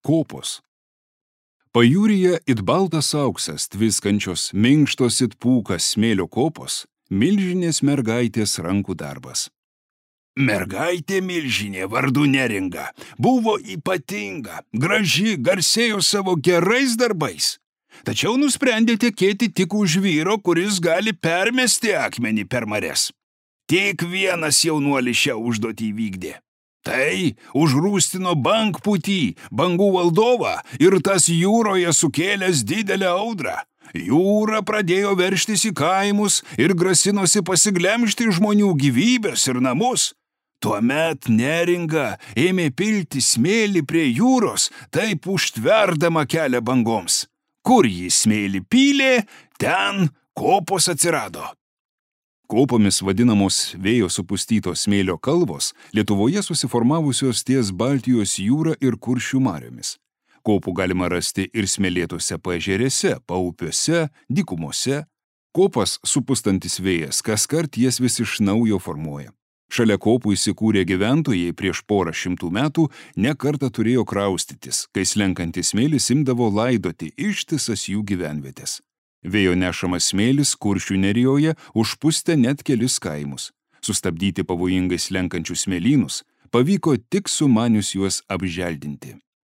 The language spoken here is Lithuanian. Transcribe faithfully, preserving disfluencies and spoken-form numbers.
Kopos. Pajūryje it baltas auksas, tviskančios, minkštos it pūkas smėlio kopos, milžinės mergaitės rankų darbas. Mergaitė milžinė vardu Neringa buvo ypatinga, graži, garsėjo savo gerais darbais. Tačiau nusprendė tekėti tik už vyro, kuris gali permesti akmenį per marias. Tik vienas jaunuolis šią užduotį vykdė. Tai užrūstino bangpūtį, bangų valdovą ir tas jūroje sukėlęs didelę audrą. Jūra pradėjo veržtis į kaimus ir grasinosi pasiglemžti žmonių gyvybės ir namus. Tuomet Neringa ėmė pilti smėlį prie jūros, taip užtverdama kelią bangoms. Kur jis smėlį pylė, ten kopos atsirado. Kopomis vadinamos vėjo supustytos smėlio kalvos Lietuvoje susiformavusios ties Baltijos jūra ir Kuršių mariomis. Kopų galima rasti ir smėlėtose paežerėse, paupiuose, dykumose. Kopas supustantis vėjas kaskart jas vis iš naujo formuoja. Šalia kopų įsikūrė gyventojai prieš porą šimtų metų ne kartą turėjo kraustytis, kai slenkantis smėlis imdavo laidoti ištisas jų gyvenvietės. Vėjo nešamas smėlis Kuršių nerijoje užpustė net kelis kaimus. Sustabdyti pavojingai slenkančius smėlynus pavyko tik sumanius juos apželdinti.